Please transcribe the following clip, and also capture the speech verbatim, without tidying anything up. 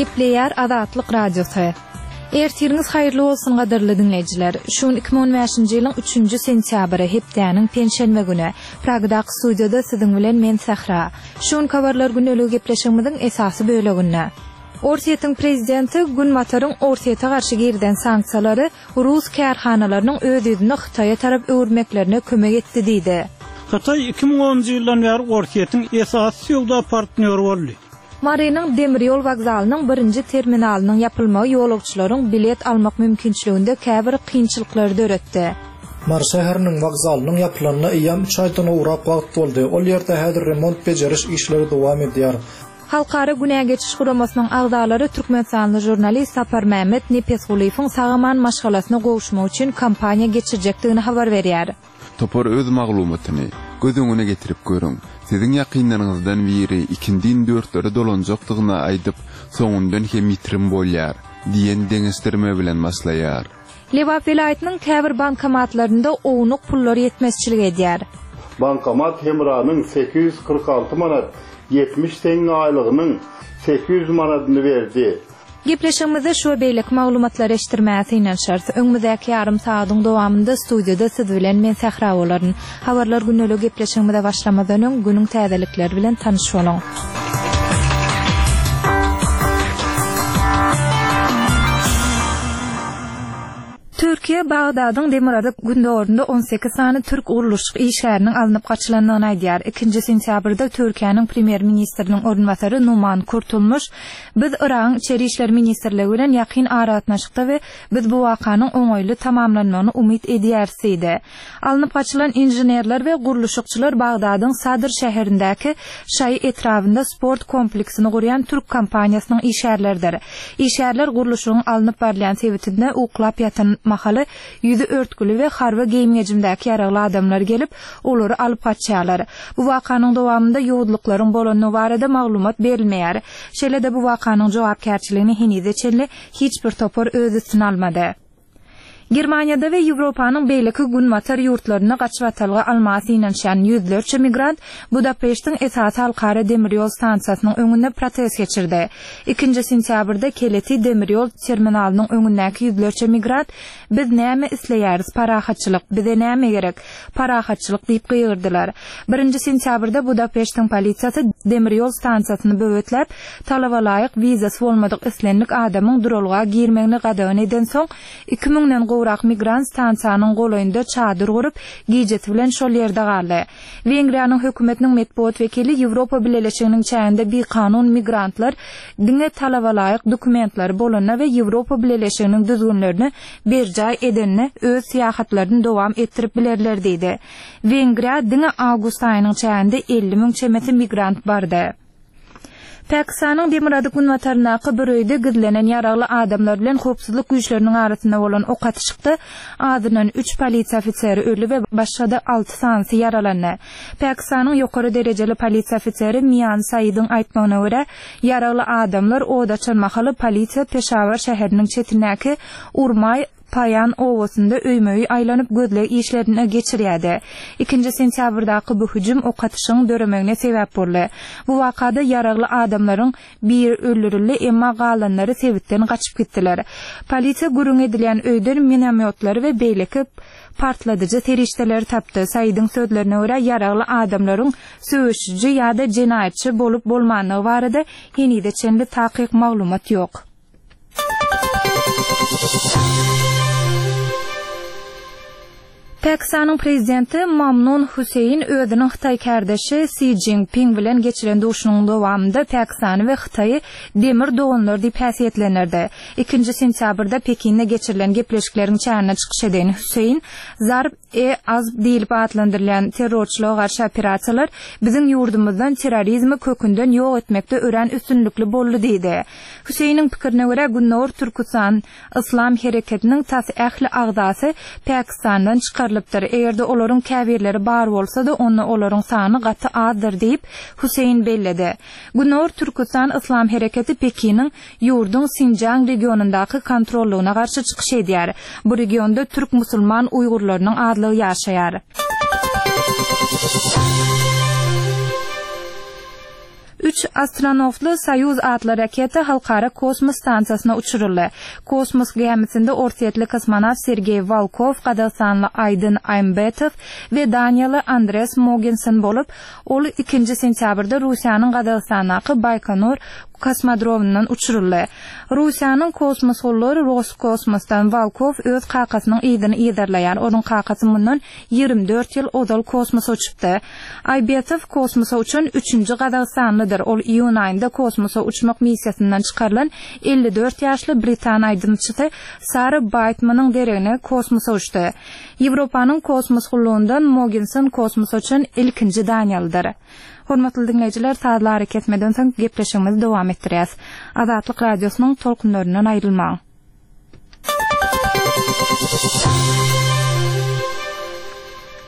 Gepleýär Azatlyk Radiosy. Ertiriňiz haýyrly bolsun gadyrly diňleýjiler. Şu gün iki müň on bäşinji ýylyň üçünji sentýabry, hepdäniň penşenbe güni. Pragadaky studiýada siziň bilen men Sähra. Şu günki habarlar gündeligi gepleşigimiziň esasy böleginde. Orsýetiň prezidenti Günbataryň Orsýete garşy girizen sanksiýalary rus kärhanalarynyň öz ýüzüni Hytaýa tarap öwürmeklerine kömek etdi diýdi. Hytaý iki müň onunjy ýyldan bäri Orsýetiň esasy söwda partnýory boldy. Marynyň demir ýol wokzalynyň birinji terminalynyň ýapylmagy ýolagçylaryň bilet almak mümkinçiliginde käbir kynçylyklary döretdi. Mary şäheriniň wokzalynyň ýapylanyna eýýäm üç aýdan gowrak wagt boldy. Ol ýerde häzir remont-bejeriş işleri dowam edýär. Halkara günä geçiş guramasynyň agzalary türkmenistanly žurnalist Saparmämmet Nepesgulyýewiň sag-aman maşgalasyna gowuşmak üçin kampaniýa geçirjekdigini habar berýär. Topar öz maglumatyny göz öňüne getirip görüň. Siziň ýakynlaryňyzdan biri ikindin dörtlere dolanjakdygyny aýdyp, soňundan hem ýitirim bolýar diýen deňeşdirme bilen başlaýar. Lebap welaýatynyň käbir bankomatlarynda ownuk pullar ýetmezçilik edýär. Bankomat Hemranyň sekiz ýüz kyrk alty manat ýetmiş teňňe aýlygynyň sekiz ýüz manadyny berdi. Gepleşigimizde şu we beýleki maglumatlary eşitdirmäge synanyşarys. Öňümizdäki ýarym sagadyň dowamynda studiýada siz bilen men Sähra bolaryn. Habarlar gündelik gepleşigimize başlamazdan öň günüň täzelikleri bilen tanyş boluň. Türkiýe Bagdadyň demirgazyk gündogarynda on sekiz sany türk gurluşyk işgäriniň alnyp gaçylandygyny aýdýar. Ikinji sentýabrda Türkiýäniň premýer-ministriniň orunbasary Numan Kurtulmuş, Biz Yragyň Içeri işler ministrligi bilen ýakyn aragatnaşykda we biz bu wakanyň oňaýly tamamlanmagyny umyt edýäris diýdi. Alnyp gaçylan inženerler we gurluşykçylar Bagdadyň Sadr şäherindäki Şaýy etrabynda sport kompleksini gurýan türk kompaniýasynyň işgärleridir. Işgärler gurluşygyň alnyp barylýan sebitinde uklap ýatan mahaly ýüzi örtgüli we harby geýim-gejimdäki ýaragly adamlar gelip, olary alyp gaçýarlar. Bu wakanyň dowamynda ýowuzlyklaryň bolandygy barada maglumat berilmeýär. Şeýle-de bu wakanyň jogapkärçiligini henize çenli hiç bir topar öz üstüne almady. Germaniýada we Ýewropanyň beýleki günbatar ýurtlarynda gaçybatalga almaga synanyşýan ýüzlerçe migrant Budapeştiň esasy halkara demir ýol stansiýasynyň öňünde protest geçirdi. Ikinji sentýabrda Keleti demir ýol terminalynyň öňündäki ýüzlerçe migrant Biz näme isleýäris? Parahatçylyk! Bize näme gerek? Parahatçylyk! diýip gygyrdylar. Birinji sentýabrda Budapeştiň polisiýasy demir ýol stansiýasyny böwetläp, talaba laýyk wizasy bolmadyk islendik adamyň duralga girmegini gadagan edensoň, iki müňden gowrak migrant stansiýanyň golaýynda çadyr gurup, gijesi bilen şol ýerde galdy. Wengriýanyň hökümetiniň metbugat wekili Ýewropa Bileleşiginiň çäginde bikanun migrantlar diňe talaba laýyk dokumentleri bolanda we Ýewropa Bileleşiginiň düzgünlerini berjaý edende öz syýahatlaryny dowam etdirip bilerler diýdi. Wengriýa diňe awgust aýynyň çäginde elli müň çemesi migrant bardy. Pakistanyň demirgazyk-günbataryndaky bir öýde gizlenen ýaragly adamlar bilen howpsuzlyk güýçleriniň arasynda bolan ok atyşykda azyndan üç polisiýa ofiseri öldi we başga-da alty sanysy ýaralandy. Pakistanyň ýokary derejeli polisiýa ofiseri Mian Saidiň aýtmagyna görä, ýaragly adamlar od açan mahaly polisiýa Peşawar şäheriniň çetindäki Urmaý Paýan obasynda öýme-öý aýlanyp gözleg işlerini geçirýärdi. Ikinji sentýabrdaky bu hüjüm ok atyşygyň döremegine sebäp boldy. Bu wakada ýaragly adamlaryň biri öldürildi, emma galanlary sebitden gaçyp gitdiler. Polisiýa gürrüň edilýän öýden minomýotlary we beýleki partladyjy serişdeleri tapdy. Saidiň sözlerine görä, ýaragly adamlaryň söweşiji ýa-da jenaýatçy bolup-bolmandygy barada henize çenli takyk maglumat ýok. Pakistanyň prezidenti Mamnun Huseýn özüniň hytaý kärdeşi Si Jinping bilen geçiren duşuşygynyň dowamynda Pakistany we Hytaýy demir doganlar diýip häsiýetlendirdi. Ikinji sentýabrda Pekinde geçirilen gepleşikleriň çäginde çykyş eden Huseýn Zarb-e-Azb diýlip atlandyrylýan terrorçylyga garşy operasiýalar biziň ýurdumyzdan terrorizmi kökünden ýok etmekde örän üstünlikli boldy diýdi. Huseýniň pikirine görä, Gündogar Türküstan Yslam hereketiniň tas ähli agzasy Pakistandan çykarylypdyr. Eger-de olaryň käbirleri bar bolsa-da, onda olaryň sany gaty azdyr diýip, Huseýn belledi. Gündogar Türküstan Yslam hereketi Pekiniň ýurduň Sinjiang regionyndaky kontrollygyna garşy çykyş edýär. Bu regionda türk musulman uýgurlarynyň azlygy ýaşaýar. Üç astronawtly Soýuz atly raketa Halkara kosmos stansiýasyna uçuryldy. Kosmos gämisinde orsýetli kosmonawt Sergeý Wolkow, gazagystanly Aýdyn Aýmbetow we daniýaly Andres Mogensen bolup, ol ikinji sentýabrda Russiýanyň Gazagystandaky Baýkonur kosmodromyndan uçuryldy. Russiýanyň kosmos gullugy Roskosmosdan Wolkow öz kakasynyň yzyny yzarlaýar. Onuň kakasy mundan ýigrimi dört ýyl ozal kosmosa uçupdy. Aýbetow kosmosa uçan üçünji gazagystanlydyr. Ol iýun aýynda kosmosa uçmak missiýasyndan çykarylan elli dört ýaşly britan aýdymçysy Sara Baýtmanyň deregine kosmosa uçdy. Ýewropanyň kosmos gullugyndan Mogensen kosmosa uçan ilkinji daniýalydyr. Hormatly diňleýjiler, sazly arakesmeden soň gepleşigimizi dowam etdirýäs. Azatlyk Radiosynyň tolkunlaryndan aýrylmaň.